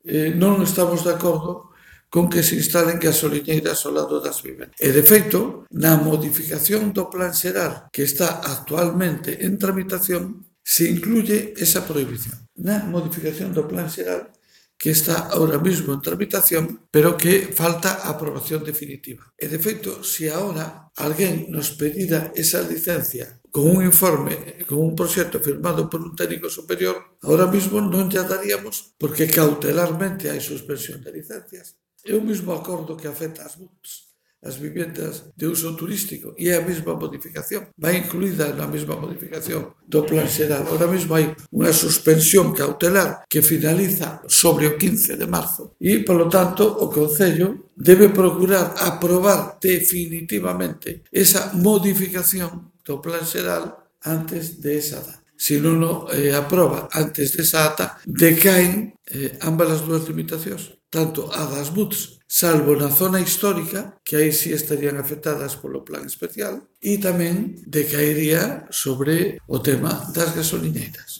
non estamos de acordo con que se instalen gasoliñeiras ao lado das vivendas. E, de feito, na modificación do Plan Xeral que está actualmente en tramitación, se incluye esa prohibición. Na modificación do Plan Xeral que está ahora mismo en tramitación, pero que falta a aprobación definitiva. E, de feito, se agora alguén nos pedira esa licencia con un informe, con un proxecto firmado por un técnico superior, ahora mismo non lle daríamos porque cautelarmente hai suspensión de licencias. É o mesmo acordo que afecta as MUTs, as vivendas de uso turístico, e é a mesma modificación, vai incluída na mesma modificación do Plan Xeral. Ahora mesmo hai unha suspensión cautelar que finaliza sobre o 15 de marzo e, polo tanto, o Concello debe procurar aprobar definitivamente esa modificación do Plan Xeral antes de esa data. Se non o aproba antes desa data, decaen ambas as dúas limitacións, tanto a das MUTs, salvo na zona histórica, que aí sí estarían afectadas polo plan especial, e tamén decaería sobre o tema das gasoliñeiras.